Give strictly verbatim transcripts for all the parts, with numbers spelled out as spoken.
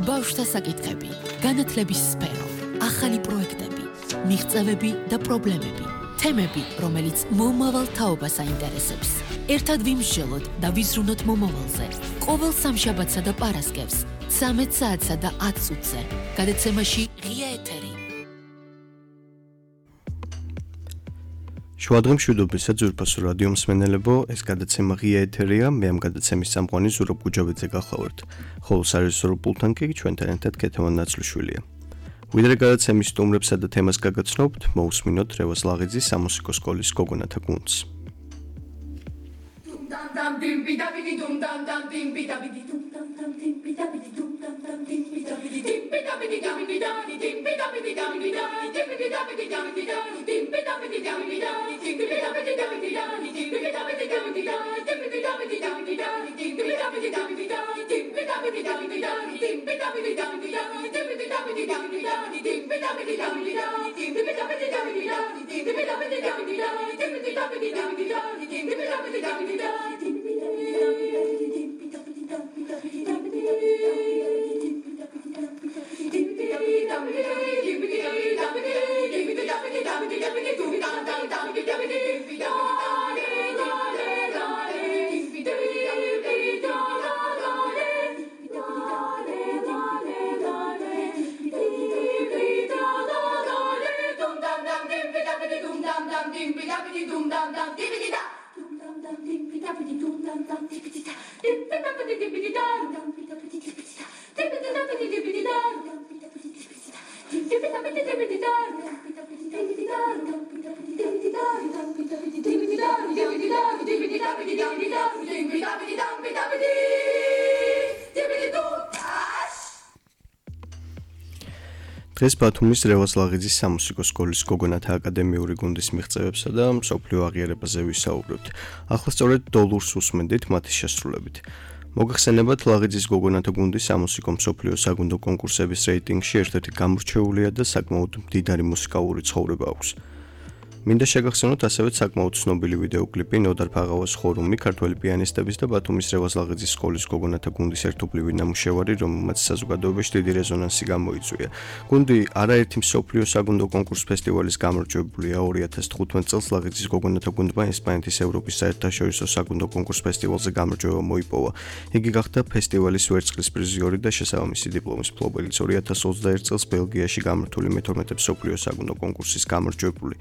ბავშვთა საკითხები, განათლების სფერო, ახალი პროექტები, მიღწევები და პრობლემები, თემები, რომელიც მომავალ თაობას აინტერესებს. ერთად ვიმსჯელოთ და ვიზრუნოთ მომავალზე. ყოველ სამშაბათსა და პარასკევს, ცამეტ საათსა და ათ წუთზე. გადაცემაში ღია ეთერი. შუადღე მშვიდობისა ძვირფასო რადიო მსმენელებო, ეს გადაცემა ღია ეთერია, მე ამ გადაცემის წამყვანი ზურაბ გუჯავიძე გახლავართ, ხოლო სარეჟისორო პულტთან კი ჩვენთან ერთად ქეთევან ნაცლიშვილია. ვიდრე გადაცემის სტუმრებსა და თემას გაგაცნობთ, მოусმინოთ რევაზ ლაღიძის სამუსიკო სკოლის გოგონათა გუნდს. დღეს ბათუმის რევაზ ლაღიძის სამუსიკო სკოლის გოგონათა აკადემიური გუნდის მიღწევებსა და მსოფლიო აღიარებაზე ვისაუბრებთ. ახლა სწორედ დოლურს უსმენდით მათი შესრულებით. მოგახსენებათ, ლაღიძის გოგონათა გუნდის სამუსიკო მსოფლიო საგუნდო კონკურსების რეიტინგში ერთ-ერთი გამორჩეულია და საკმაოდ მდიდარი მუსიკალური ცხოვრება აქვს. მინდა შეგახსენოთ ასევე საკმაოდ ცნობილი ვიდეოკლიპი ნოდარ ფაღავას ხორუმი, ქართველი პიანისტების და ბათუმის რევაზ ლაღიძის სკოლის გოგონათა გუნდის ერთობლივი ნამუშევარი, რომელმაც საზოგადოებაში დიდი რეზონანსი გამოიწვია. გუნდი არაერთი მსოფლიო საგუნდო კონკურს ფესტივალის გამარჯვებულია. ორი ათას თხუთმეტ წელს ლაღიძის გოგონათა გუნდმა ესპანეთის ევროპის საერთაშორისო საგუნდო კონკურს ფესტივალზე გამარჯვება მოიპოვა. იგი გახდა ფესტივალის ვერცხლის პრიზიორი და შესაბამისი დიპლომის მფლობელიც. ორი ათას ოცდაერთ წელს ბელგიაში გამართული მეთორმეტე მსოფლიო საგუნდო კონკურსის გამარჯვებული.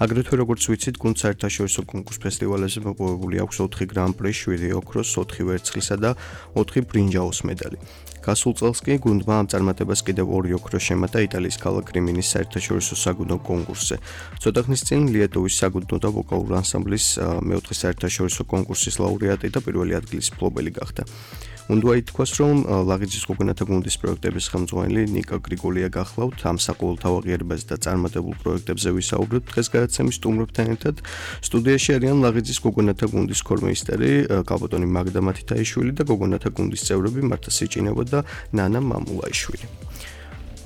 აგრეთვე როგორც ვიცით, გუნდს საერთაშორისო კონკურს ფესტივალებზე მოპოვებული აქვს ოთხი გრან-პრი, შვიდი ოქროს, ოთხი ვერცხლისა და ოთხი ბრინჯაოს მედალი. გასულ წელს კი გუნდმა ამ წარმატებას კიდევ ორი ოქრო შემატა იტალიის ქალაქ რიმინის საერთაშორისო საგუნდო კონკურსზე. ცოტა ხნის წინ ლიეტოვის საგუნდო და ვოკალური ანსამბლის მეოთხე საერთაშორისო კონკურსის ლაურეატი და პირველი ადგილის მფლობელი გახდა. უნდა ითქვას, რომ ლაღიძის გოგონათა გუნდის პროექტების ხელმძღვანელი ნიკა გრიგოლია გახლავთ. ამ საყოველთაო აღიარებაზე და წარმატებულ პროექტებზე ვისაუბრებთ დღეს გადაცემის სტუმრებთან ერთად. სტუდიაში არიან ლაღიძის გოგონათა გუნდის ქორმეისტერი კალბატონი მაგდა მათითაიშვილი და გოგონათა გუნდის წევრები მართა სიჭინევა და ნანა მამულაიშვილი.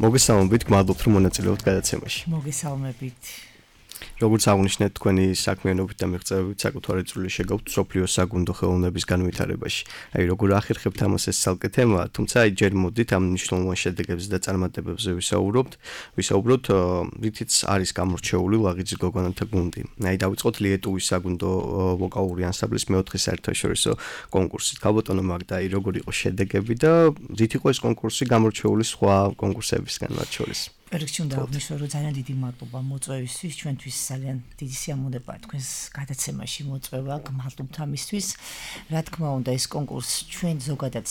მოგესალმებით, გმადლობთ რომ მონაწილეობთ გადაცემაში. მოგესალმებით. როგორც აღნიშნეთ, თქვენი საქმიანობით და მიღწევებით საკუთარი წვლილი შეგავთ მსოფლიო საგუნდო ხელოვნების განვითარებაში. აი, როგორ ახერხებთ ამას, ეს ცალკე თემაა, თუმცა აი ჯერ მოდით ამ მნიშვნელოვან შედეგებზე და წარმატებებზე ვისაუბროთ. ვისაუბროთ, რითიც არის გამორჩეული ლაღიძის გოგონათა გუნდი. აი, დავიწყოთ ლიეტოვის საგუნდო ვოკალური ანსამბლის მეოთხე საერთაშორისო კონკურსით. კალბატონო მაგდა, აი, როგორ იყო შედეგები და რით იყო ეს კონკურსი გამორჩეული სხვა კონკურსებისგან მათ შორის? რიგში უნდა აღნიშნო, რომ ძალიან დიდი მადლობა მოწვევისთვის, ჩვენთვის ძალიან დიდი სიამოვნებაა თქვენს გადაცემაში მოწვევა, გმადლობთ ამისთვის. რა თქმა უნდა, ეს კონკურსი ჩვენ ზოგადად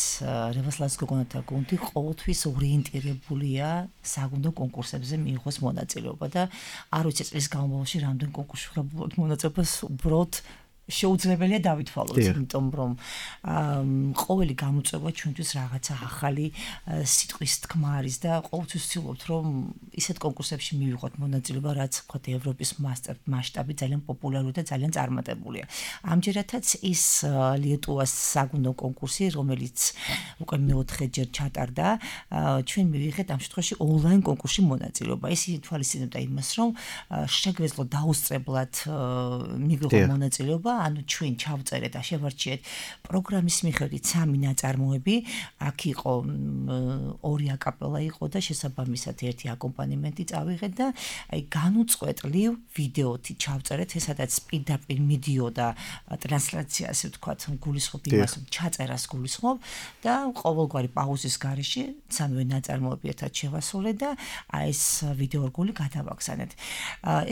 რევაზ ლაღიძის გოგონათა გუნდი ყოველთვის ორიენტირებულია საგუნდო კონკურსებზე მიიღოს მონაწილეობა და არ ვიცი წლის განმავლობაში რამდენ კონკურსში ვღებულობთ მონაწილეობას, უბრალოდ შეუძლებელია დავითვალოთ, იმიტომ რომ ყოველი გამოწვევა ჩვენთვის რაღაცა ახალი სიტყვის თქმა არის და ყოველთვის ვცდილობთ, რომ ისეთ კონკურსებში მივიღოთ მონაწილეობა, რაც ვთქვათ ევროპის მასშტაბით ძალიან პოპულარული და ძალიან წარმატებულია. ამჯერადაც ის ლიეტოვას საგუნდო კონკურსი, რომელიც უკვე მეოთხეჯერ ჩატარდა, ჩვენ მივიღეთ ამ შემთხვევაში ონლაინ კონკურსში მონაწილეობა. ეს ითვალისწინებდა იმას, რომ შეგვეძლო დაუსწრებლად მივიღო მონაწილეობა ანუ ჩვენ ჩავწერეთ და შევარჩიეთ პროგრამის მიხედვით სამი ნაწარმოები, აქ იყო ორი აკაპელა იყო და შესაბამისად ერთი აკომპანიმენტი წავიღეთ და აი განუწყვეტლივ ვიდეოთი ჩავწერეთ, ესადაც პირდაპირ მიდიოდა ტრანსლაცია, ასე ვთქვათ, გულისხმობ იმას, ჩაწერას გულისხმობ და ყოველგვარი პაუზის გარეშე სამივე ნაწარმოები ერთად შევასრულეთ და აი ეს ვიდეო რგული გადავაგზავნეთ.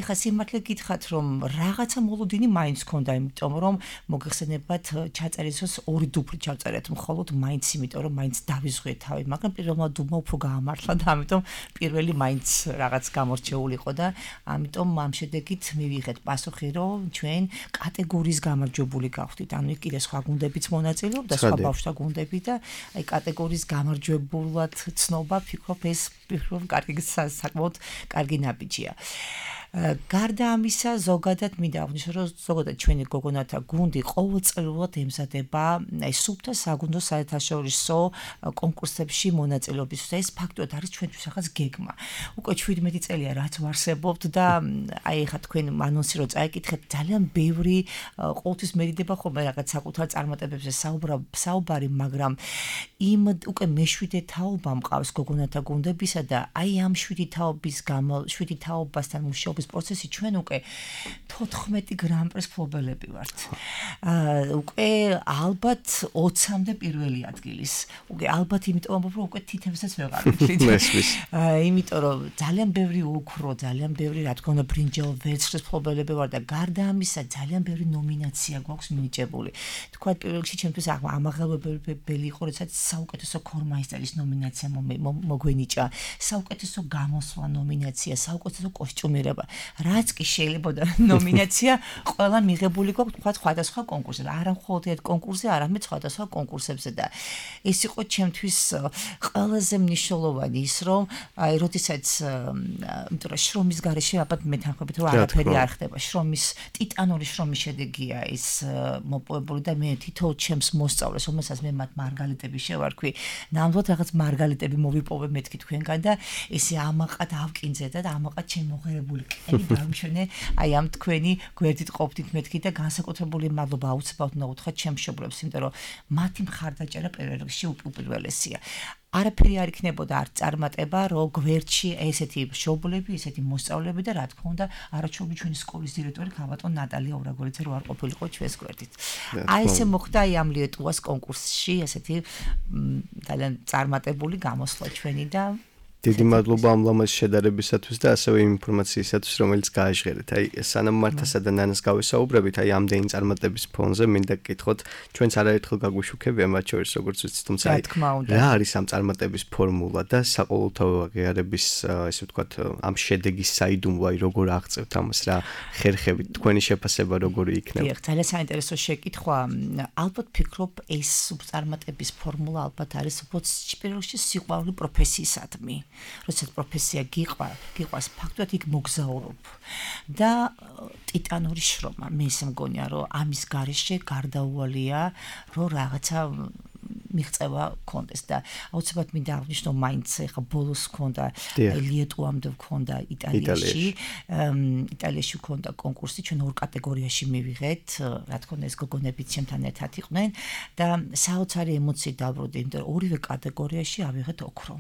ეხლა სიმართლე გითხრათ, რომ რაღაცა მოლოდინი მაინც ქონდა, იმიტომ რომ მოგეხსენებათ ჩაწერის დროს ორი დუბლი ჩავწერეთ, მხოლოდ მაინც იმიტომ რომ მაინც დავიზღვიეთ თავი, მაგრამ პირველმა დუბლმა უფრო გაამართლა და ამიტომ პირველი მაინც რაღაც გამორჩეულიყო და ამიტომ ამ შედეგით მივიღეთ პასუხი, რომ ჩვენ კატეგორიის გამარჯვებული გავხდით. ანუ კიდე სხვა გუნდებიც მონაწილეობდა, სხვა ბავშვთა გუნდები და აი კატეგორიის გამარჯვებულად ცნობა, ფიქრობ ეს ფიქრობ კარგი საკმაოდ კარგი ნაბიჯია. გარდა ამისა, ზოგადად მინდა აღნიშნო, რომ ზოგადად ჩვენი გოგონათა გუნდი ყოველწლიურად ემზადება აი სუფთა საგუნდო საერთაშორისო კონკურსებში მონაწილეობისთვის. ეს ფაქტობრივად არის ჩვენთვის ახაც გეგმა. უკვე შვიდმეტი წელია რაც ვარსებობთ და აი ხა თქვენ ანონსი რო წაიკითხეთ, ძალიან ბევრი ყოველთვის მერიდება ხოლმე რაღაც საკუთარ წარმატებებზე საუბარი, მაგრამ იმ უკვე მეშვიდე თაობა მყავს გოგონათა გუნდებისა და აი ამ შვიდი თაობის გამო შვიდი თაობასთან მუშაობის პროცესი ჩვენ უკვე თოთხმეტი გრან-პრის მფლობელები ვართ. უკვე ალბათ ოცამდე პირველი ადგილის. უკვე ალბათ იმიტომ რომ უკვე თითებსაც ვეღარ ვთვლით. იმიტომ რომ ძალიან ბევრი ოქრო, ძალიან ბევრი რა თქმა უნდა ბრინჯაო ვერცხლის მფლობელები ვარ და გარდა ამისა ძალიან ბევრი ნომინაცია გვაქვს მინიჭებული. თქვა პირველ რიგში ჩემთვის ამაღლებებელი იყო, როდესაც საუკეთესო ქორმაისტერის ნომინაცია მოგვენიჭა, საუკეთესო გამოსვლა ნომინაცია, საუკეთესო კოსტიუმირება. რაც კი შეიძლება ნომინაცია ყველა მიღებული გვაქვს თქვა სხვადასხვა კონკურსზე. არა მხოლოდ ერთ კონკურსზე, არამედ სხვადასხვა კონკურსებზე და ეს იყო ჩემთვის ყველაზე მნიშვნელოვანი ის, რომ აი როდესაც იმიტომ რომ შრომის გარეშე ალბათ მეთანხმებით რომ არაფერი არ ხდება. შრომის ტიტანური შრომის შედეგია ეს მოპოვებული და მე თითოეულ ჩემს მოსწავლეს, რომელსაც მე მათ მარგალიტები შევარქვი, ნამდვილად რაღაც მარგალიტები მოვიპოვე მეთქი თქვენგან და ესე ამაყად ავკინძე და ამაყად შემოღერებული კენი დავმშვენე აი ამ თქვენი გვერდით ყოფდით მეთქი და განსაკუთრებული მადლობა აუცილებლად უნდა უთხრა ჩემს მშობლებს, იმიტომ რომ მათი მხარდაჭერა პირველ რიგში უპირველესია. არაფერი არ იქნებოდა არ წარმატება, რომ გვერდში ესეთი მშობლები, ესეთი მოსწავლეები და რა თქმა უნდა, არაჩვეულებრივი ჩვენი სკოლის დირექტორი ქალბატონ ნატალია ურაგოლიძე რო არ ყოფილიყო ჩვენს გვერდით. აი ესე მოხდა აი ამ ლიეტუვას კონკურსში, ესეთი ძალიან წარმატებული გამოსვლა ჩვენი და დიდი მადლობა ამ ლამაზ შედარებისათვის და ასევე იმ ინფორმაციისათვის, რომელიც გააჟღერეთ. აი, სანამ მართასა და ნანას გავესაუბრებით, აი ამდენი წარმატების ფონზე მინდა გკითხოთ, ჩვენც არაერთხელ გაგვიშუქებია მათ შორის, როგორც ვიცით, თუმცა აი რა არის ამ წარმატების ფორმულა და საყოველთაო აღიარების, ესე ვთქვათ, ამ შედეგის საიდუმლო, აი როგორ აღწევთ ამას, რა ხერხებით, თქვენი შეფასება როგორი იქნება? დიახ, ძალიან საინტერესო შეკითხვა. ალბათ ფიქრობ, ეს წარმატების ფორმულა ალბათ არის უბრალოდ პირველ რიგში სიყვარული პროფესიისადმი. როდესაც პროფესია გიყვა, გიყვას ფაქტობრივად იქ მოგზაურობ და ტიტანური შრომა. მე ისე მგონია, რომ ამის გარეშე გარდაუვალია, რომ რაღაცა მიღწევა კონდეს და აუცილებლად მინდა აღნიშნო, მაინც ეხა ბოლოს ქონდა ლიეტუვამდე ქონდა იტალიაში, იტალიაში ქონდა კონკურსი, ჩვენ ორ კატეგორიაში მივიღეთ, რა თქმა უნდა ეს გოგონებიც ჩემთან ერთად იყვნენ და საოცარი ემოციით დავბრუნდი, იმიტომ რომ ორივე კატეგორიაში ავიღეთ ოქრო.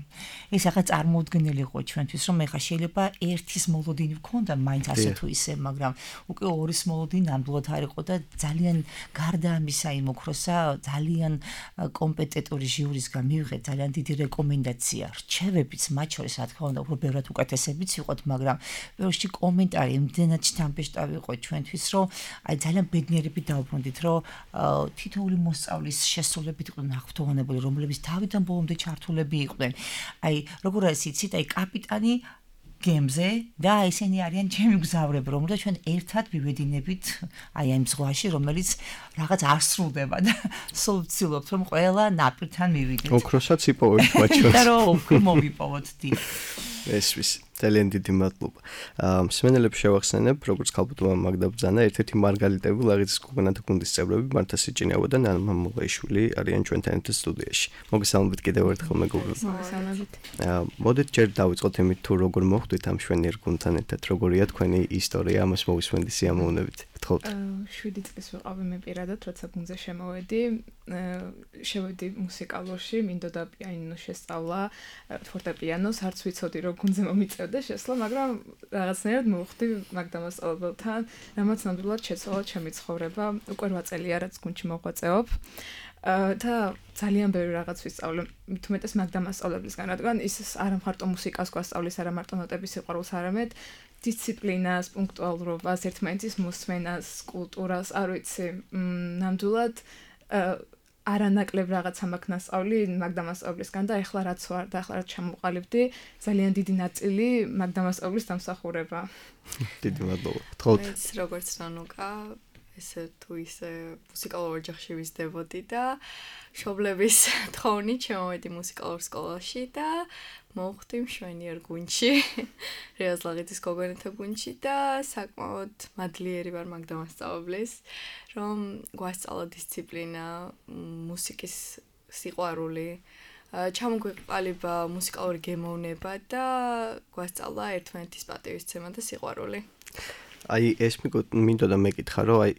ეს ახლა წარმოუდგენელი იყო ჩვენთვის, რომ ეხა შეიძლება ერთის მოლოდინი ვქონდა მაინც ასე თუ ისე, მაგრამ უკვე ორის მოლოდინი ნამდვილად არ იყო და ძალიან გარდა ამისა იმ ოქროსა ძალიან კომპეტენტური ჟიურისგან მივიღეთ ძალიან დიდი რეკომენდაცია. რჩევებიც მათ შორის, რა თქმა უნდა, უფრო ბევრად უკეთესებიც იყოთ, მაგრამ ბევრში კომენტარი იმდენად შთამბეჭდავი იყო ჩვენთვის, რომ აი ძალიან ბედნიერებით დავბრუნდით, რომ თითოეული მოსწავლის შესრულებით იყვნენ აღფრთოვანებული, რომლებიც თავიდან ბოლომდე ჩართულები იყვნენ. აი როგორ არის იცით, აი კაპიტანი გემზე და ესენი არიან ჩემი გზავრები, რომელთა ჩვენ ერთად ვივედინებით აი ამ ზღვაში, რომელიც რაღაც არ სრულდება და სულ ვცდილობთ, რომ ყველა ნაპირთან მივიდეთ. ოქროსაც იპოვებთ მათ შორის. და რომ ოქრო მოვიპოვოთ დი. ესვის ძალიან დიდი მადლობა. მსმენელებს შევახსენებ, როგორც ქალბატონმა მაგდა ბრძანა, ერთ-ერთი მარგალიტები ლაღიძის გოგონათა გუნდის წევრები მართა სიჭინავა და ნანა მამულაიშვილი არიან ჩვენთან ერთად სტუდიაში. მოგესალმებით კიდევ ერთხელ მეგობრებო. მოგესალმებით. მოდით ჯერ დავიწყოთ იმით, თუ როგორ მოხვდით ამ შვენიერ გუნდთან ერთად, როგორია თქვენი ისტორია, ამას მოვისმენთ სიამოვნებით. გთხოვთ. შვიდი წლის ვიყავი მე პირადად, როცა გუნდზე შემოვედი. შევედი მუსიკალურში, მინდოდა პიანინო შესწავლა, ფორტეპიანოს, არც ვიცოდი რომ გუნდზე მომიწევდა შესვლა, მაგრამ რაღაცნაირად მოვხდი მაგდამასწავლებელთან, რამაც ნამდვილად შეცვალა ჩემი ცხოვრება. უკვე რვა წელია რაც გუნდში მოღვაწეობ. და ძალიან ბევრი რაღაც ვისწავლე, მით უმეტეს მაგდამასწავლებელისგან, რადგან ის არა მარტო მუსიკას გვასწავლის, არა მარტო ნოტების სიყვარულს, არამედ დისციპლინას, პუნქტუალურობას, ერთმანეთის მოსმენას, კულტურას, არ ვიცი, ნამდვილად არანაკლებ რაღაცა მაქვს ნასწავლი მაგდამასწავლისგან და ეხლა რაც ვარ და ეხლა რაც ჩამოყალიბდი, ძალიან დიდი ნაწილი მაგდამასწავლის დამსახურება. დიდი მადლობა. გთხოვთ. მეც როგორც რანუკა ესე თუ ისე მუსიკალურ ოჯახში ვიზრდებოდი და მშობლების თხოვნით შემოვედი მუსიკალურ სკოლაში და მოვხდი მშვენიერ გუნდში, რეაზლაღიძის გოგონათა გუნდში და საკმაოდ მადლიერი ვარ მაგდამასწავლებლის, რომ გვასწავლა დისციპლინა, მუსიკის სიყვარული, ჩამოგვიყალიბა მუსიკალური გემოვნება და გვასწავლა ერთმანეთის პატივისცემა და სიყვარული. აი ეს მინდოდა მეკითხა რომ აი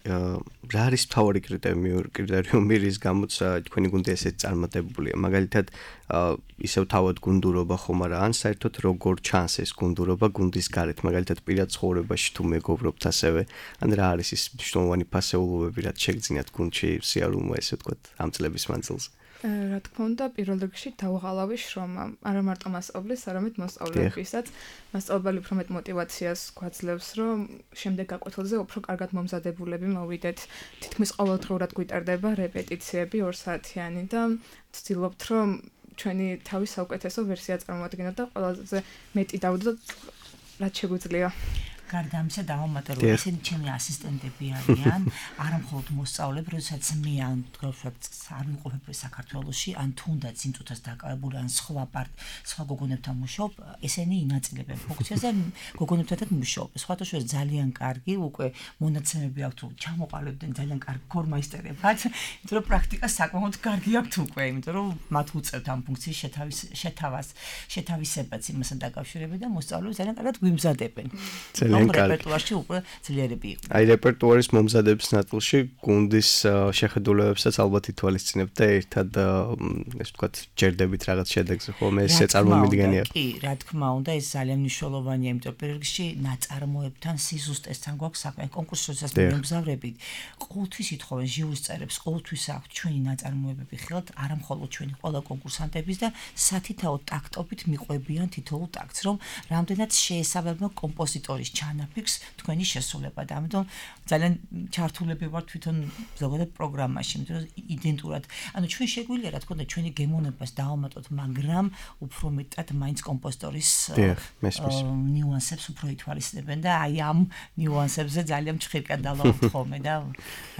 რა არის მთავარი კრიტერიუმი რის გამოც თქვენი გუნდი ესეც წარმატებულია მაგალითად ისევ თავად გუნდურობა ხომ არა ან საერთოდ როგორ ჩანს ეს გუნდურობა გუნდის გარეთ მაგალითად პირად ცხოვრებაში თუ მეგობრობთ ასევე ან რა არის ის მნიშვნელოვანი ფასეულობები რაც შეგძინათ გუნდში სიარულმა ესე ვთქვათ ამ წლების მანძილზე რა თქმა უნდა, პირველ რიგში დავღალავი შრომა, არა მარტო მასწავლებლის, არამედ მოსწავლეებისაც. მასწავლებელი უფრო მეტ мотиваციას გვაძლევს, რომ შემდეგ გაკვეთილზე უფრო კარგად მომზადებულები მოვიდეთ. თითქმის ყოველდღურად გვიტარდება რეპეტიციები ორ საათიანი და ვცდილობთ, რომ ჩვენი თავის საუკეთესო ვერსია წარმოვადგინოთ და ყველაზე მეტი დავდოთ, რაც შეგვიძლია. გარდა ამისა დავამატე რომ ესენი ჩემი ასისტენტები არიან, არა მხოლოდ მოსწავლეები, როდესაც მე ან თქვათ არ ვიყოფები საქართველოში, ან თუნდაც იმ წუთას დაკავებული ან სხვა პარტ, სხვა გოგონებთან მუშაობ, ესენი ინაწილებენ ფუნქციას და გოგონებთანაც მუშაობ. სხვათა შორის ძალიან კარგი, უკვე მონაცემები აქვთ, ჩამოყალიბდნენ ძალიან კარგი გორმაისტერებად, იმიტომ რომ პრაქტიკა საკმაოდ კარგი აქვთ უკვე, იმიტომ რომ მათ უწევთ ამ ფუნქციის შეთავის შეთავას, შეთავისებაც იმასთან დაკავშირებით და მოსწავლეები ძალიან კარგად გვიმზადებენ. რეპერტუარში უკვე ძლიერები იყო. აი რეპერტუარის მომზადების ნაწილში გუნდის შეხედულებებსაც ალბათ ითვალისწინებთ და ერთად ესე ვთქვათ ჯერდებით რაღაც შედეგზე ხოლმე ეს წარმოუდგენია. კი, რა თქმა უნდა, ეს ძალიან მნიშვნელოვანია, იმიტომ რომ პირველ რიგში ნაწარმოებთან სიზუსტესთან გვაქვს საქმე. კონკურსშიც მიმგზავრებით, ყოველთვის ითხოვენ ჟიურის წევრებს, ყოველთვის აქვთ ჩვენი ნაწარმოებები ხელთ, არა მხოლოდ ჩვენი ყველა კონკურსანტების და სათითაო ტაქტობით მიყვებიან თითოეულ ტაქტს, რომ რამდენად შეესაბამება კომპოზიტორის ჩანაფიქს თქვენი შესრულება და ამიტომ ძალიან ჩართულები ვარ თვითონ ზოგადად პროგრამაში, იმიტომ რომ იდენტურად, ანუ ჩვენ შეგვიძლია რა თქმა უნდა ჩვენი გემოვნებას დავამატოთ, მაგრამ უფრო მეტად მაინც კომპოზიტორის ნიუანსებს უფრო ითვალისწინებენ და აი ამ ნიუანსებზე ძალიან მჭხირკად დავამატოთ ხოლმე და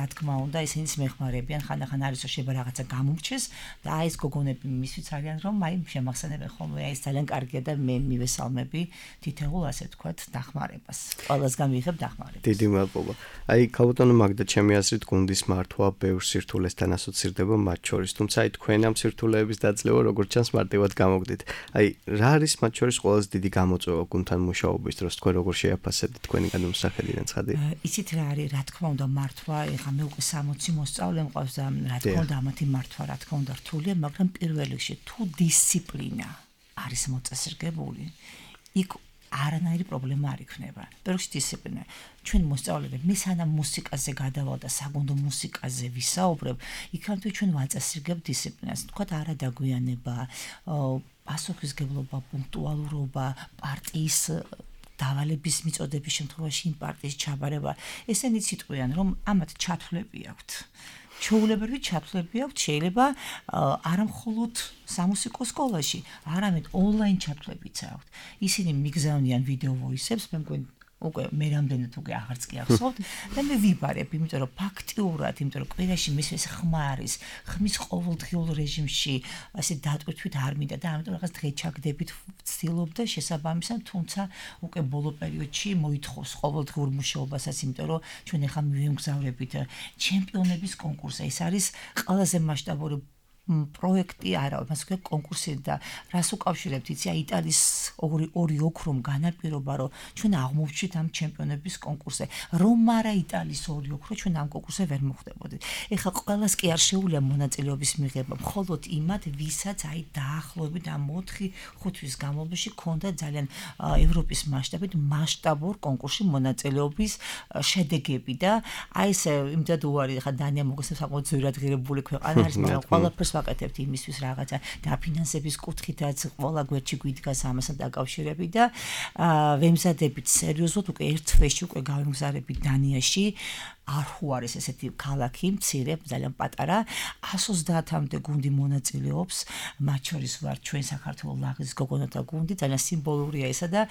რა თქმა უნდა ისინიც მეხმარებიან, ხანდახან არის რომ შეიძლება რაღაცა გამომრჩეს და აი ეს გოგონები მისვით არიან რომ აი შემახსენებენ ხოლმე აი ეს ძალიან კარგია და მე მივესალმები თითოეულ ასე ვთქვათ დახმარებას. ყველასგან მიიღებ დახმარებას. დიდი მადლობა. აი ქალბატონო მაგდა ჩემი აზრით გუნდის მართვა ბევრ სირთულესთან ასოცირდება მათ შორის, თუმცა აი თქვენ ამ სირთულეების დაძლევა როგორც ჩანს მარტივად გამოგდით. აი რა არის მათ შორის ყველაზე დიდი გამოწვევა გუნდთან მუშაობის დროს, თქვენ როგორ შეაფასებთ თქვენი განმსახედიდან ცხადი? იცით რა არის, რა თქმა უნდა მართვა, ეხლა მე უკვე სამოცი მოსწავლე მყავს და რა თქმა უნდა ამათი მართვა რა თქმა უნდა რთულია, მაგრამ პირველ რიგში თუ დისციპლინა არის მოწესრიგებული, იქ არანაირი პრობლემა არ იქნება. პირველში დისციპლინა. ჩვენ მოსწავლეები, მე სანამ მუსიკაზე გადავალ და საგუნდო მუსიკაზე ვისაუბრებ, იქამდე ჩვენ ვაწესრიგებთ დისციპლინას. თქვათ არა დაგვიანება, პასუხისგებლობა, პუნქტუალურობა, პარტიის დავალების მიწოდების შემთხვევაში იმ პარტიის ჩაბარება. ესენი ციტყვიან, რომ ამათ ჩათვლები აქვთ. ჩაულებრივი ჩათვლები აქვთ, შეიძლება არა მხოლოდ სამუსიკო სკოლაში, არამედ ონლაინ ჩათვლებიც აქვთ. ისინი მიგზავნიან ვიდეო ვოისებს, მე მგონი უკვე მე რამდენად უკვე აღარც კი ახსოვთ და მე ვიბარებ, იმიტომ რომ ფაქტიურად, იმიტომ რომ კვირაში მის ეს ხმა არის, ხმის ყოველდღიურ რეჟიმში ასე დატვირთვით არ მინდა და ამიტომ რაღაც დღეჩაგდებით ვცდილობ და შესაბამისად, თუმცა უკვე ბოლო პერიოდში მოითხოვს ყოველდღიურ მუშაობასაც, იმიტომ რომ ჩვენ ახლა მივიმგზავრებით ჩემპიონების კონკურსზე. ეს არის ყველაზე მასშტაბური პროექტი არა, მას ქვია კონკურსი და რას უკავშირებთ, იცი, იტალიის ორი ორი ოქრომ განაპირობა, რომ ჩვენ აღმოვჩით ამ ჩემპიონების კონკურსზე. რომ არა იტალიის ორი ოქრო, ჩვენ ამ კონკურსზე ვერ მოხვდებოდით. ეხლა ყველას კი არ შეუძლია მონაწილეობის მიღება, მხოლოდ იმათ, ვისაც აი დაახლოებით ამ ოთხი ხუთი თვის განმავლობაში ქონდა ძალიან ევროპის მასშტაბით მასშტაბურ კონკურსში მონაწილეობის შედეგები და აი ეს იმდად უარი, ხა დანია მოგესწრებს საკმაოდ ძვირადღირებული ქვეყანა არის, მაგრამ ყველაფერს ვაკეთებთ იმისთვის რაღაცა დაფინანსების კუთხითაც ყველა გვერდში გვიდგას ამასთან დაკავშირებით და ვემზადებით სერიოზულად უკვე ერთ თვეში უკვე გავემგზავრებით დანიაში არხუ არის ესეთი ქალაქი, მცირე, ძალიან პატარა, εκατს ოცდაათამდე გუნდი მონაწილეობს, მათ შორის ვარ ჩვენ საქართველოს ლაღის გოგონათა გუნდი, ძალიან სიმბოლურია ესა და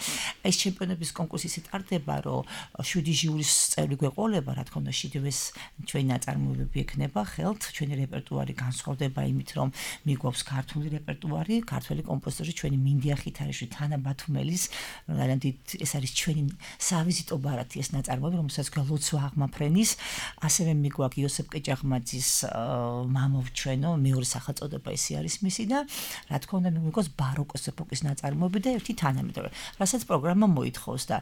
ეს ჩემპიონების კონკურსი ისე ტარდება, რომ შვიდი ჟიურის წევრი გვეყოლება, რა თქმა უნდა, შიდვეს ჩვენი ნაწარმოებები ექნება ხელთ, ჩვენი რეპერტუარი განსხვავდება იმით, რომ მიგვაქვს ქართული რეპერტუარი, ქართველი კომპოზიტორი, ჩვენი მინდია ხითარიშვილი, თანა ბათუმელის, ძალიან დიდ ეს არის ჩვენი სავიზიტო ბარათი ეს ნაწარმოები, რომელსაც ქვია ლოცვა აღმაფრენის ასევე მიგვაქვს იოსებ კეჭაღმაძის მამოვ ჩვენო მეორე სახელწოდება ისი არის მისი და რა თქმა უნდა მიგვაქვს ბაროკოს ეპოქის ნაწარმოები და ერთი თანამედროვე რასაც პროგრამა მოითხოვს და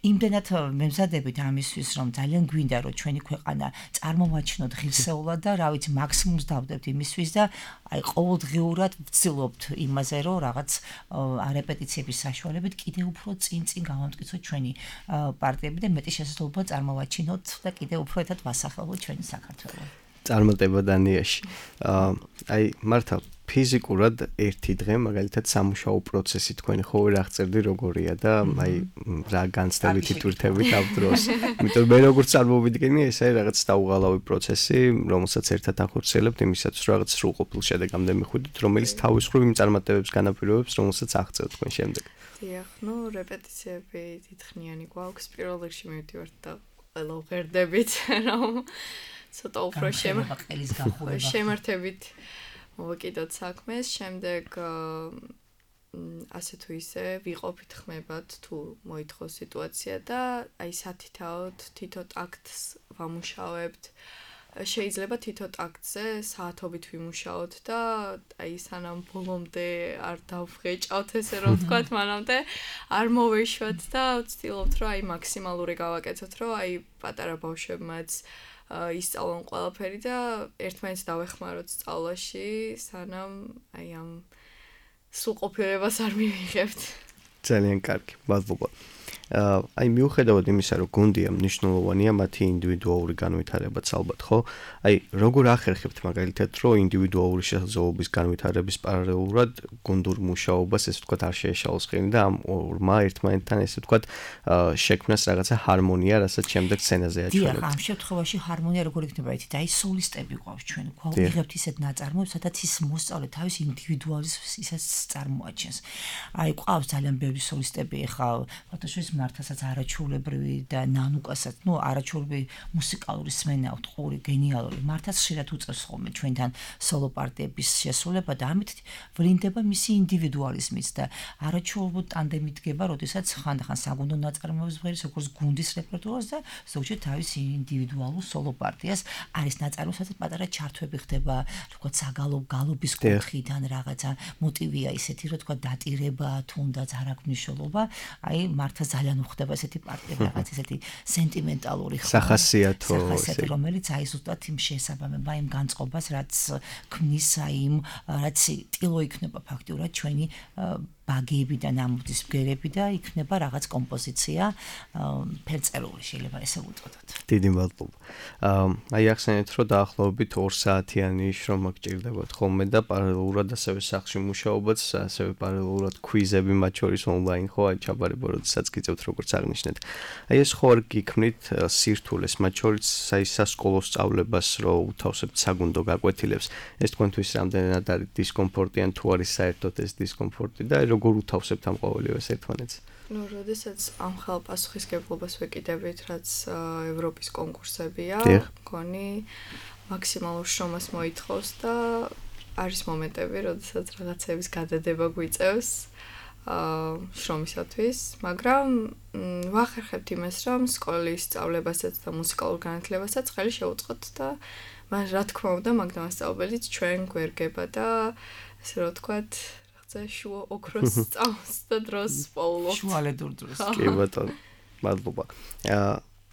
იმდენად მემზადებით ამისთვის რომ ძალიან გვინდა რომ ჩვენი ქვეყანა წარმოვაჩინოთ ღირსეულად და რა ვიცი მაქსიმუმს დავდებთ იმისთვის და აი ყოველდღიურად ვცდილობთ იმაზე რომ რაღაც რეპეტიციების საშუალებით კიდევ უფრო წინ წინ გავამტკიცოთ ჩვენი პარტიები და მეტი შესაძლებლობა წარმოვაჩინოთ და კიდევ უფრო ერთად ვასახელოთ ჩვენი საქართველოს. წარმატება დანიაში. აი მართლა ფიზიკურად ერთი დღე მაგალითად სამუშაო პროცესი თქვენი ხო ვერ აღწერდი როგორია და აი რა განცდებით იტვირთებით ამ დროს. იმიტომ მე როგორც წარმოვიდგენი ეს არის რაღაც დაუღალავი პროცესი, რომელსაც ერთად ახორციელებთ იმისაც რომ რაღაც სრულყოფილ შედეგამდე მიხვიდეთ, რომელიც თავის მხრივ იმ წარმატებებს განაპირობებს, რომელსაც აღწევთ თქვენ შემდეგ. დიახ, ნუ რეპეტიციები დიდხნიანი გვაქვს, პირველ რიგში მივდივართ და ყველა უღერდებით, რომ ცოტა უფრო შემართებით მოვაკიდოთ საქმეს, შემდეგ ასე თუ ისე ვიყოფით ხმებად თუ მოითხოვს სიტუაცია და აი სათითაოდ თითო ტაქტს ვამუშავებთ. შეიძლება თითო ტაქტზე საათობით ვიმუშაოთ და აი სანამ ბოლომდე არ დავღეჭავთ ესე რომ ვთქვათ, მანამდე არ მოვეშვათ და ვცდილობთ რომ აი მაქსიმალური გავაკეთოთ, რომ აი პატარა ბავშვებმაც ისწავლონ ყველაფერი და ერთმანეთს დავეხმაროთ სწავლაში, სანამ აი ამ სრულყოფილებას არ მივიღებთ. ძალიან კარგი, მადლობა. აი მიუხედავად იმისა, რომ გუნდია მნიშვნელოვანია მათი ინდივიდუალური განვითარებაც ალბათ, ხო? აი როგორ ახერხებთ მაგალითად, რომ ინდივიდუალური შესაძლებლობის განვითარების პარალელურად გუნდურ მუშაობას ესე ვთქვათ არ შეეშალოს ხელი და ამ ორმა ერთმანეთთან ესე ვთქვათ შექმნას რაღაცა ჰარმონია, რასაც შემდეგ სცენაზე აჩვენებთ. დიახ, ამ შემთხვევაში ჰარმონია როგორ იქნება იცით? აი სოლისტები გვაქვს ჩვენ, გვაიღებთ ისეთ ნაწარმოებს, სადაც ის მოსწავლე თავის ინდივიდუალიზმს ისაც წარმოაჩენს. აი გვყავს ძალიან ბევრი სოლისტები, ეხლა ფოტოშოვის მართასაც არაჩვეულებრივი და ნანუკასაც, ნუ არაჩვეულებრივი მუსიკალური სმენა აქვს, ყური, გენიალური. მართაც ხშირად უწევს ხოლმე ჩვენთან სოლო პარტიების შესრულება და ამით ვლინდება მისი ინდივიდუალიზმიც და არაჩვეულებრივ ტანდემი დგება, როდესაც ხანდახან საგუნდო ნაწარმოებს ღერის, როგორც გუნდის რეპერტუარს და ზოგჯერ თავის ინდივიდუალურ სოლო პარტიას არის ნაწარმოები, სადაც პატარა ჩართვები ხდება, თქვა საგალობ გალობის კუთხიდან რაღაცა მოტივია ისეთი, რომ თქვა დატირება, თუნდაც არ აქვს მნიშვნელობა, აი მართლა ძალიან უხდება ესეთი პარტიები, რაღაც ესეთი სენტიმენტალური სახასიათო, სახასიათო, რომელიც აი ზუსტად იმ შესაბამება იმ განწყობას, რაც ქმნის აი იმ რაც ტილო იქნება ფაქტიურად ჩვენი ბაგები და ნამუდის ბგერები და იქნება რაღაც კომპოზიცია ფერწერული შეიძლება ესე ვუწოდოთ. დიდი მადლობა. აი ახსენეთ, რომ დაახლოებით ორ საათიანი შრომა გჭირდებათ ხოლმე და პარალელურად ასევე სახლში მუშაობაც, ასევე პარალელურად ქვიზები მათ შორის ონლაინ ხო, აი ჩაბარება, როდესაც გიწევთ როგორც აღნიშნეთ. აი ეს ხო არ გიქმნით სირთულეს მათ შორის აი სასკოლო სწავლებას, რომ უთავსებთ საგუნდო გაკვეთილებს. ეს თქვენთვის რამდენად არის დისკომფორტი ან თუ არის საერთოდ ეს დისკომფორტი და როგორ უთავსებთ ამ ყოველივეს ერთმანეთს? ნუ როდესაც ამ ხელპასუხისგებლობას ვეკიდებით, რაც ევროპის კონკურსებია, მგონი მაქსიმალურ შრომას მოითხოვს და არის მომენტები, როდესაც რაღაცების გადადება გვიწევს შრომისათვის, მაგრამ ვახერხებთ იმას, რომ სკოლის სწავლებასაც და მუსიკალურ განათლებასაც ხელი შევუწყოთ და მაგრამ რა თქმა უნდა, მაგდამასწავლებელიც ჩვენ გვერგება და ესე რომ ვთქვათ, რაღაცა შუა ოქროს სწავლს და დროს პოულობთ. შუალედურ დროს. კი ბატონო, მადლობა.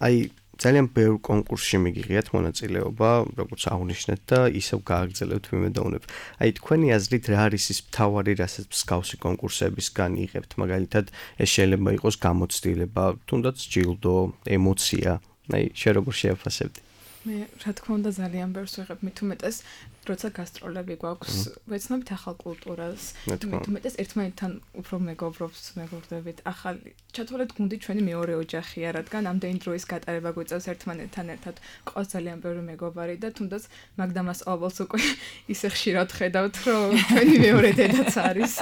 აი ძალიან ბევრ კონკურსში მიგიღიათ მონაწილეობა, როგორც აღნიშნეთ და ისევ გააგრძელებთ ვიმედოვნებ. აი თქვენი აზრით რა არის ის მთავარი, რასაც მსგავსი კონკურსებისგან იღებთ? მაგალითად, ეს შეიძლება იყოს გამოცდილება, თუნდაც ჯილდო, ემოცია. აი, შენ როგორ შეაფასებდი? მე რა თქმა უნდა ძალიან ბევრს ვიღებ, მით უმეტეს როცა გასტროლები გვაქვს, ვეცნობით ახალ კულტურას, მით უმეტეს ერთმანეთთან უფრო მეგობრობს, მეგობრდებით. ახალი ჩათვალეთ გუნდი ჩვენი მეორე ოჯახია, რადგან ამდენი დროის გატარება გვიწევს ერთმანეთთან ერთად. ყავს ძალიან ბევრი მეგობარი და თუნდაც მაგდამასწავლებელს უკვე ისე ხშირად ხედავთ, რომ ჩვენი მეორე დედაც არის.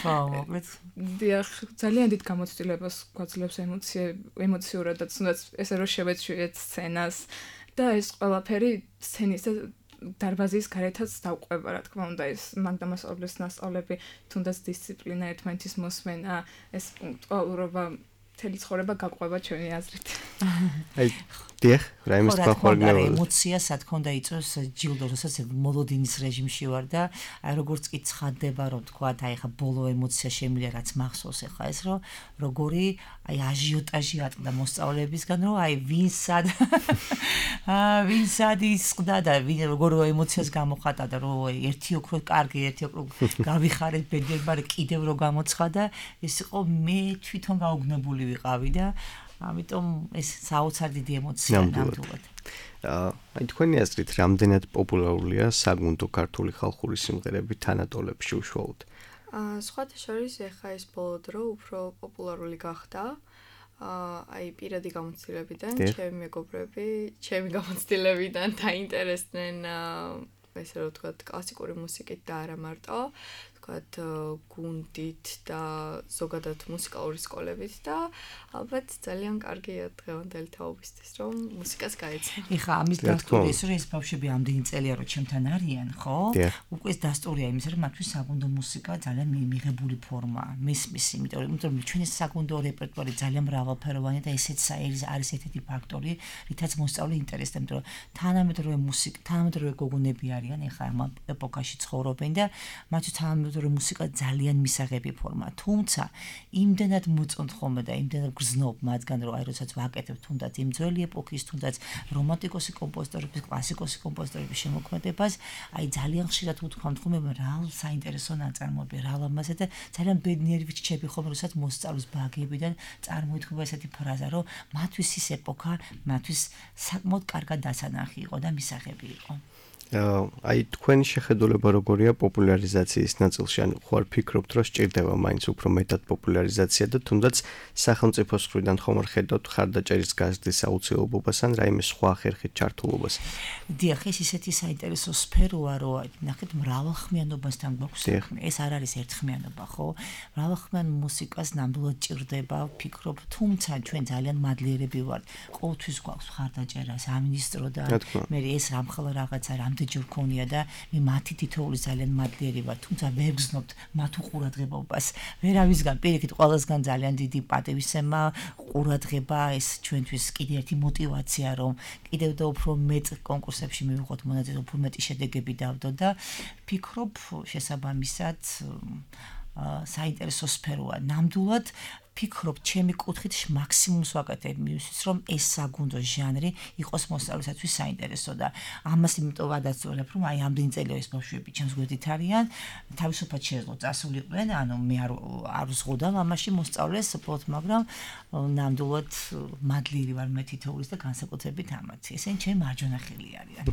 ხო, მოკლედ. დიახ, ძალიან დიდ გამოცდილებას გვაძლევს ემოციურადაც, თუნდაც ესე რომ შევეცვიეთ სცენას და ეს ყველაფერი სცენის და დარბაზის გარეთაც დავყვება, რა თქმა უნდა, ეს მაგდამასწავლებლის მასწავლები, თუნდაც დისციპლინა, ერთმანეთის მოსმენა, ეს პუნქტუალურობა, მთელი ცხოვრება გაყვება ჩვენი აზრით. აი, დიახ, რა იმის თქვა ემოცია, სათქონდა იწევს ჯილდო, როცა მოლოდინის რეჟიმში ვარ და აი როგორც კი ცხადდება, რომ თქვა, აი ხა ბოლო ემოცია შემიძლია რაც მახსოვს ახლა ეს, რომ როგორი აი აჟიოტაჟი ატყდა მოსწავლეებისგან, რომ აი ვინ სად აა ვინ სად ისყდა და ვინ როგორ ემოციას გამოხატა და რომ ერთი ოქრო კარგი, ერთი ოქრო გავიხარეთ ბედნიერბარი კიდევ რო გამოცხადა, ეს იყო მე თვითონ გაუგნებული ვიყავი და ამიტომ ეს საოცარ დიდი ემოცია ნამდვილად. აი თქვენი აზრით, რამდენად პოპულარულია საგუნდო ქართული ხალხური სიმღერები თანატოლებში უშუალოდ? აა სხვათა შორის ეხა ეს ბოლო დრო უფრო პოპულარული გახდა. აი პირადი გამოცდილებიდან, ჩემი მეგობრები, ჩემი გამოცდილებიდან დაინტერესდნენ ესე რომ ვთქვათ, კლასიკური მუსიკით და არა მარტო, ვთქვათ, გუნდით და ზოგადად მუსიკალური სკოლებით და ალბათ ძალიან კარგია დღევანდელი თაობისთვის, რომ მუსიკას გაეცნო. ეხა ამის დასტური ის რომ ეს ბავშვები ამდენი წელია რომ ჩემთან არიან, ხო? უკვე ეს დასტურია იმის რომ მათთვის საგუნდო მუსიკა ძალიან მიღებული ფორმაა. მისმის, იმიტომ რომ ჩვენი საგუნდო რეპერტუარი ძალიან მრავალფეროვანია და ესეც არის ერთ-ერთი ფაქტორი, რითაც მოსწავლე ინტერესდება, იმიტომ რომ თანამედროვე მუსიკა, თანამედროვე გოგონები არიან, ეხა ამ ეპოქაში ცხოვრობენ და მათთვის თანამედროვე მუსიკა ძალიან მისაღები ფორმა. თუმცა იმდენად მოწონთ ხოლმე და იმდენად გრძნობ მათგან, რომ აი როდესაც ვაკეთებ თუნდაც იმ ძველი ეპოქის, თუნდაც რომანტიკოსი კომპოზიტორების, კლასიკოსი კომპოზიტორების შემოქმედებას, აი ძალიან ხშირად უთქვამთ ხოლმე რა საინტერესო ნაწარმოები, რა ლამაზე და ძალიან ბედნიერი ვიჩჩები ხოლმე, როდესაც მოსწავლეს ბაგებიდან წარმოითქვა ესეთი ფრაზა, რომ მათთვის ის ეპოქა, მათთვის საკმაოდ კარგად დასანახი იყო და მისაღები იყო. აი თქვენი შეხედულება როგორია პოპულარიზაციის ნაწილში, ან ხوار ფიქრობთ, რომ სჭირდება მაინც უფრო მეტად პოპულარიზაცია და თუნდაც სახელმწიფოს მხრიდან ხომ არ ხედავთ ხარდაჭერის გაზრდის აუცილებლობას ან რაიმე სხვა ხერხით ჩართულობას? დიახ, ეს ისეთი საინტერესო სფეროა, რომ ნახეთ მრავალხმიანობასთან გვაქვს საქმე. ეს არ არის ერთხმიანობა, ხო? მრავალხმიან მუსიკას ნამდვილად ჭირდება, ვფიქრობ, თუმცა ჩვენ ძალიან მადლიერები ვართ. ყოველთვის გვაქვს ხარდაჭერა, სამინისტრო და მე ეს რამხელა რაღაცა ჯერ ქონია და მე მათი თითოეული ძალიან მადლიერი ვარ, თუმცა ვერ გზნობთ მათ უყურადღებობას. ვერავისგან პირიქით ყველასგან ძალიან დიდი პატივისცემა, ყურადღება, ეს ჩვენთვის კიდე ერთი мотиваცია, რომ კიდევ და უფრო მეტ კონკურსებში მივიღოთ მონაწილე, უფრო მეტი შედეგები დავდო და ფიქრობ შესაბამისად საინტერესო სფეროა. ნამდვილად ფიქრობ, ჩემი კუთხით მაქსიმუმს ვაკეთებ იმისთვის, რომ ეს საგუნდო ჟანრი იყოს მოსწავლისათვის საინტერესო და ამას იმიტომ ვადასტურებ, რომ აი ამდენი წელია ეს ბავშვები ჩემს გვერდით არიან, თავისუფლად შეეძლო წასულიყვნენ, ანუ მე არ არ ვზღუდავ ამაში მოსწავლეს უბრალოდ, მაგრამ ნამდვილად მადლიერი ვარ მე თითოეულის და განსაკუთრებით ამათ. ესენი ჩემი მარჯვენა ხელი არიან.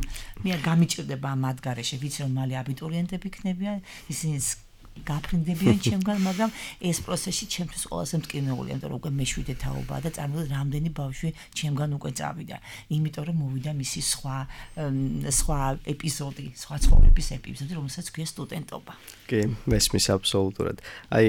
მე არ გამიჭირდება მათ გარეშე, ვიცი რომ მალე აბიტურიენტები იქნებიან, ისინი გაფრინდებიან ჩემგან, მაგრამ ეს პროცესი ჩემთვის ყველაზე მტკივნეულია, იმიტომ რომ უკვე მეშვიდე თაობაა და წარმოიდგინეთ რამდენი ბავშვი ჩემგან უკვე წავიდა. იმიტომ რომ მოვიდა მისი სხვა სხვა ეპიზოდი, სხვა ცხოვრების ეპიზოდი, რომელსაც ქვია სტუდენტობა. კი, მესმის აბსოლუტურად. აი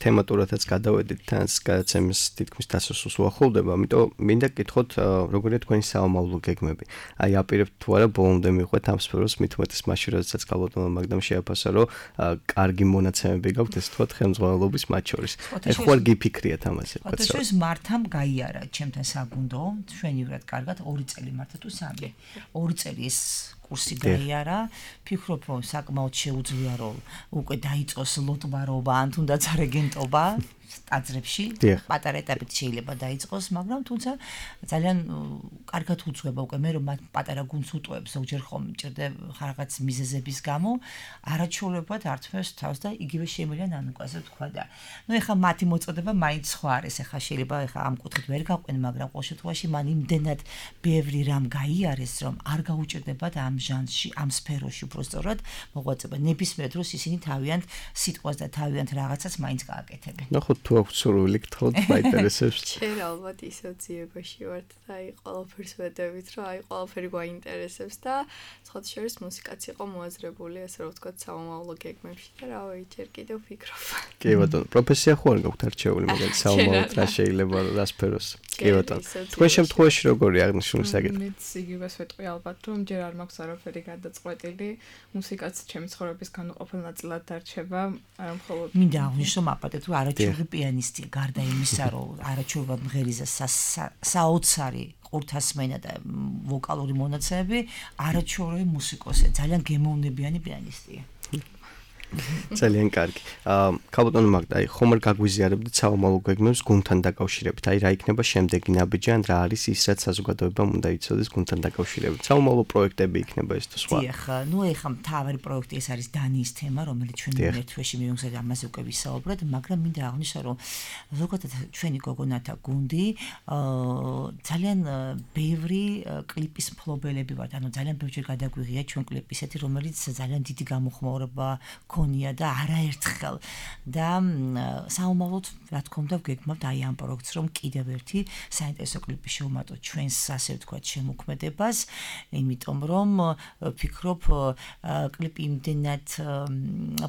თემატურადაც გადავედით თან გადაცემის თითქმის დასასრულს უახლოვდება, ამიტომ მინდა გითხოთ როგორია თქვენი საომავლო გეგმები. აი აპირებთ თუ არა ბოლომდე მიყვეთ ამ სფეროს მით უმეტეს მაშინ როდესაც კალბატონმა მაგდამ შეაფასა რომ კარგი მონაცემები გაქვთ ეს თქვა ხელმძღვანელობის მათ შორის. აი ხوار გიფიქრიათ ამაზე. ფოტოშოს მართამ გაიარა ჩემთან საგუნდო, ჩვენივრად კარგად ორი წელი მართა თუ სამი. ორი წელი ეს კურსი გაიარა, ფიქრობ რომ საკმაოდ შეუძლია რომ უკვე დაიწყოს ლოტბარობა ან თუნდაც რეგენტობა ტაძრებში, პატარა ეტაპით შეიძლება დაიწყოს, მაგრამ თუმცა ძალიან კარგად უძღვება უკვე მე რომ მათ პატარა გუნდს უტყუებს ზოგჯერ ხომ მჭირდება რაღაც მიზეზების გამო, არაჩვეულებად არცფერს თავს და იგივე შემიძლია ნანუკვაზე თქვა და ნუ ეხა მათი მოწოდება მაინც სხვა არის, ეხა შეიძლება ეხა ამ კუთხით ვერ გაყვენ, მაგრამ ყოველ შემთხვევაში მან იმდენად ბევრი რამ გაიარეს, რომ არ გაუჭირდებათ ამ ჟანრში, ამ სფეროში უბრალოდ მოღვაწება. ნებისმიერ დროს ისინი თავიანთ სიტყვას და თავიანთ რაღაცას მაინც გააკეთებენ. ნახოთ თუ აქვს სურვილი გთხოვთ, მაინტერესებს. შენ ალბათ ისევ ძიებაში ვართ და აი ყველაფერს ვედებით, რომ აი ყველაფერი გვაინტერესებს და სხვათა შორის მუსიკაც იყო მოაზრებული, ასე რომ ვთქვათ, საომავლო გეგმებში და რა ვიცი, ჯერ კიდევ ვფიქრობ. კი ბატონო, პროფესია ხო არ გაქვთ არჩეული, მაგალითად საომავლოდ რა შეიძლება რა სფეროს. კი ბატონო. თქვენ შემთხვევაში როგორი აღნიშნული საკითხი? მეც იგივეს ვეტყვი ალბათ, რომ ჯერ არ მაქვს არაფერი გადაწყვეტილი, მუსიკაც ჩემი ცხოვრების განუყოფელ ნაწილად დარჩება, არა მხოლოდ მინდა აღვნიშნო მაპატეთ, რომ არაჩვეულებრივი პიანისტია, გარდა იმისა, რომ არაჩვეულებრივ მღერიზა საოცარი ყურთასმენა და ვოკალური მონაცემები, არაჩვეულებრივი მუსიკოსია, ძალიან გემოვნებიანი პიანისტია. ძალიან კარგი. აა კალბატონო მაგდა, აი ხომ არ გაგვიზიარებდით საომავლო გეგმებს გუნდთან დაკავშირებით. აი რა იქნება შემდეგი ნაბიჯი ან რა არის ის რაც საზოგადოებამ უნდა იცოდეს გუნდთან დაკავშირებით. საომავლო პროექტები იქნება ეს თუ სხვა. დიახ, ნუ ეხა მთავარი პროექტი ეს არის დანიის თემა, რომელიც ჩვენ ერთ თვეში მივიღეთ ამაზე უკვე ვისაუბრეთ, მაგრამ მინდა აღვნიშნო, რომ ზოგადად ჩვენი გოგონათა გუნდი აა ძალიან ბევრი კლიპის მფლობელები ვართ. ანუ ძალიან ბევრჯერ გადაგვიღია ჩვენ კლიპისეთი, რომელიც ძალიან დიდი გამოხმაურება ქონია და არაერთხელ და საომავლოდ რა თქმა უნდა ვგეგმავთ აი ამ პროექტს რომ კიდევ ერთი საინტერესო კლიპი შევმატოთ ჩვენს ასე ვთქვათ შემოქმედებას, იმიტომ რომ ვფიქრობ კლიპი იმდენად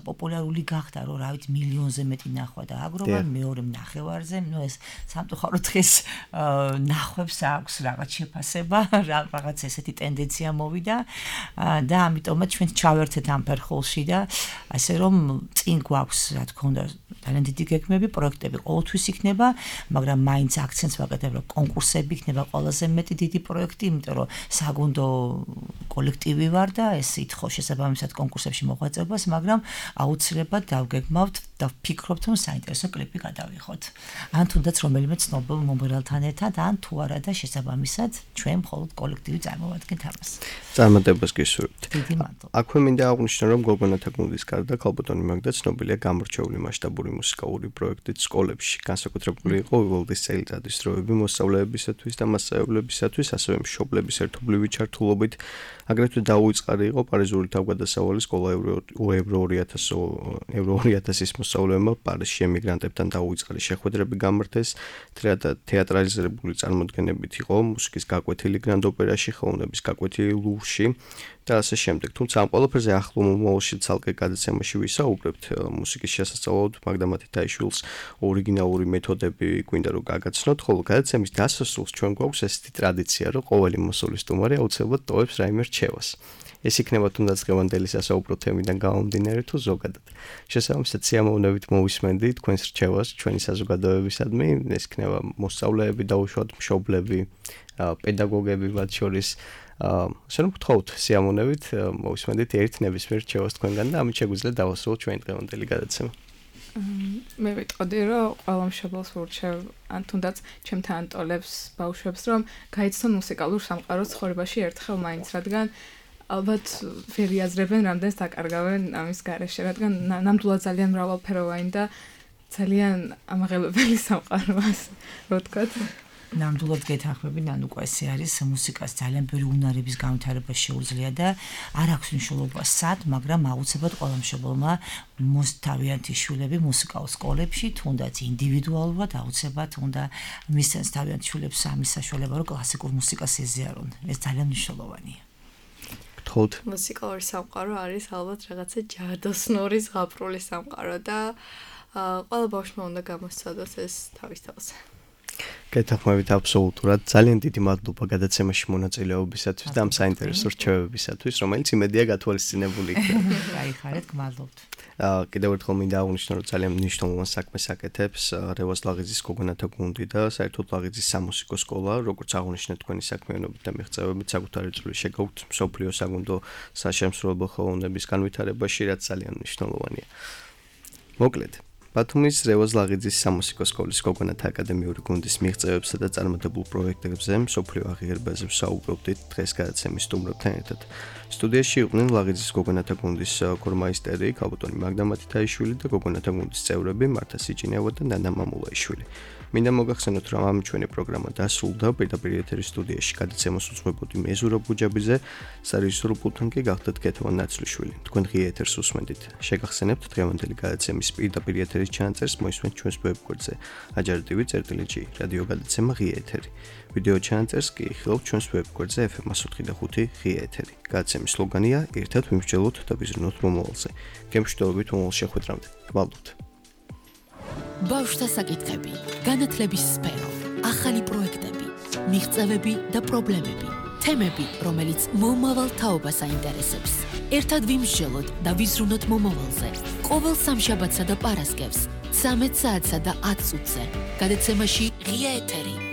პოპულარული გახდა რომ რა ვიცი მილიონზე მეტი ნახვა და აგროვა მეორე ნახევარზე, ნუ ეს სამწუხაროდ დღეს ნახვებს აქვს რაღაც შეფასება, რაღაც ესეთი ტენდენცია მოვიდა და ამიტომაც ჩვენ ჩავერთეთ ამ ფერხულში და ასე რომ წინ გვაქვს რა თქმა უნდა ძალიან დიდი გეგმები, პროექტები ყოველთვის იქნება, მაგრამ მაინც აქცენტს ვაკეთებ რომ კონკურსები იქნება ყველაზე მეტი დიდი პროექტი, იმიტომ რომ საგუნდო კოლექტივი ვარ და ეს ითხოვს შესაბამისად კონკურსებში მოღვაწეობას, მაგრამ აუცილებლად დავგეგმავთ და ვფიქრობთ რომ საინტერესო კლიპი გადავიღოთ. ან თუნდაც რომელიმე ცნობილ მომღერალთან ერთად, ან თუ არა და შესაბამისად ჩვენ მხოლოდ კოლექტივი წარმოვადგენთ ამას. წარმატებას გისურვებთ. დიდი მადლობა. აქვე მინდა აღვნიშნო რომ გოგონათა გუნდის გარდა კალბატონი მაგდა ცნობილია გამორჩეული მასშტაბური მუსიკალური პროექტით სკოლებში. განსაკუთრებული იყო ვილდის წელიწადის დროები მოსწავლეებისათვის და მასწავლებლებისათვის, ასევე მშობლების ერთობლივი ჩართულობით. აგრეთვე დაუწყარი იყო პარიზული თავგადასავალი სკოლა ევრო ორი ათასის მოსწავლეებმა პარიზში ემიგრანტებთან დაუწყარი შეხვედრები გამართეს. თეატრალიზებული წარმოდგენებით იყო მუსიკის გაკვეთილი გრანდ ოპერაში, ხელოვნების გაკვეთილი ლუვრში და ასე შემდეგ. თუმცა ამ ყველაფერზე ახლო მომავალში ცალკე გადაცემაში ვისაუბრებთ. მუსიკის შესასწავლად მაგდა მათითაიშვილს ორიგინალური მეთოდები გვინდა რომ გაგაცნოთ, ხოლო გადაცემის დასასრულს ჩვენ გვაქვს ესეთი ტრადიცია, რომ ყოველი მოსულის სტუმარი აუცილებლად ტოვებს რაიმე რჩევას. ეს იქნება თუნდაც დღევანდელი სასაუბრო თემიდან გამომდინარე თუ ზოგადად. შესაბამისად სიამოვნებით მოვისმენდით თქვენს რჩევას ჩვენი საზოგადოებისადმი, ეს იქნება მოსწავლეები, დაუშვათ მშობლები, პედაგოგები მათ შორის. ასე რომ გთხოვთ სიამოვნებით მოვისმენდით ერთ ნებისმიერ რჩევას თქვენგან და ამით შეგვიძლია დავასრულოთ ჩვენი დღევანდელი გადაცემა. მე ვიტყოდი რომ ყველა მშობელს ვურჩევ ან თუნდაც ჩემთან ანტოლებს ბავშვებს რომ გაიცნონ მუსიკალურ სამყაროს ცხოვრებაში ერთხელ მაინც, რადგან ალბათ ვერ იაზრებენ რამდენს დაკარგავენ ამის გარეშე, რადგან ნამდვილად ძალიან მრავალფეროვანი და ძალიან ამაღლებელი სამყაროა, რო ვთქვათ. ნამდვილად გეთანხმები, ნანუკა ესე არის მუსიკას ძალიან ბევრი უნარების განვითარება შეუძლია და არ აქვს მნიშვნელობა სად, მაგრამ აუცილებლად ყველა მშობელმა მოსთავიანთი შვილები მუსიკალურ სკოლებში, თუნდაც ინდივიდუალურად აუცილებლად უნდა მისცეს თავიანთ შვილებს ამის საშუალება, რომ კლასიკურ მუსიკას ეზიარონ. ეს ძალიან მნიშვნელოვანია. გთხოვთ. მუსიკალური სამყარო არის ალბათ რაღაცა ჯადოსნური ზღაპრული სამყარო და ყველა ბავშვმა უნდა გამოსცადოს ეს თავის თავს. გეთანხმებით აბსოლუტურად. ძალიან დიდი მადლობა გადაცემაში მონაწილეობისათვის და ამ საინტერესო რჩევებისათვის, რომელიც იმედია გათვალისწინებული იქნება. გაიხარეთ, გმადლობთ. აა კიდევ ერთხელ მინდა აღვნიშნო, რომ ძალიან მნიშვნელოვან საქმეს აკეთებს რევაზ ლაღიძის გოგონათა გუნდი და საერთოდ ლაღიძის სამუსიკო სკოლა, როგორც აღვნიშნეთ თქვენი საქმიანობით და მიღწევებით საკუთარი წვლილი შეგაქვთ მსოფლიო საგუნდო საშემსრულებლო ხელოვნების განვითარებაში, რაც ძალიან მნიშვნელოვანია. მოკლედ ბათუმის რევაზ ლაღიძის სამუსიკო სკოლის გოგონათა აკადემიური გუნდის მიღწევებსა და წარმატებულ პროექტებზე მსოფლიო აღიარებაზე ვსაუბრობდით დღეს გადაცემის სტუმრებთან ერთად. სტუდიაში იყვნენ ლაღიძის გოგონათა გუნდის ქორმაისტერი ქალბატონი მაგდა მათითაიშვილი და გოგონათა გუნდის წევრები მართა სიჭინევა და ნანა მამულაიშვილი. მინდა მოგახსენოთ, რომ ამ ჩვენი პროგრამა დასრულდა პირდაპირ ეთერის სტუდიაში გადაცემას უძღვებოდი მე ზურაბ გუჯაბიძე, სარეჟისორო პულტთან კი გახდათ ქეთევან ნაცლიშვილი. თქვენ ღია ეთერს უსმენთ. შეგახსენებთ დღევანდელი გადაცემის პირდაპირ ეთერის ჩანაწერს მოისმენთ ჩვენს ვებგვერდზე ajar.tv წერტილიჯი რადიო გადაცემა ღია ეთერი. ვიდეო ჩანაწერს კი იხილავთ ჩვენს ვებგვერდზე ეფ ემ ათი და ხუთი ღია ეთერი. გადაცემის სლოგანია ერთად ვიმსჯელოთ და ვიზრუნოთ მომავალზე. გემშვიდობებით მომავალ შეხვედრამდე. გვალობთ. ბავშვთა საკითხები, განათლების სფერო, ახალი პროექტები, მიღწევები და პრობლემები, თემები, რომელიც მომავალ თაობას აინტერესებს. ერთად ვიმსჯელოთ და ვიზრუნოთ მომავალზე. ყოველ სამშაბათსა და პარასკევს, ცამეტ საათსა და ათ წუთზე. გადაცემაში ღია ეთერი.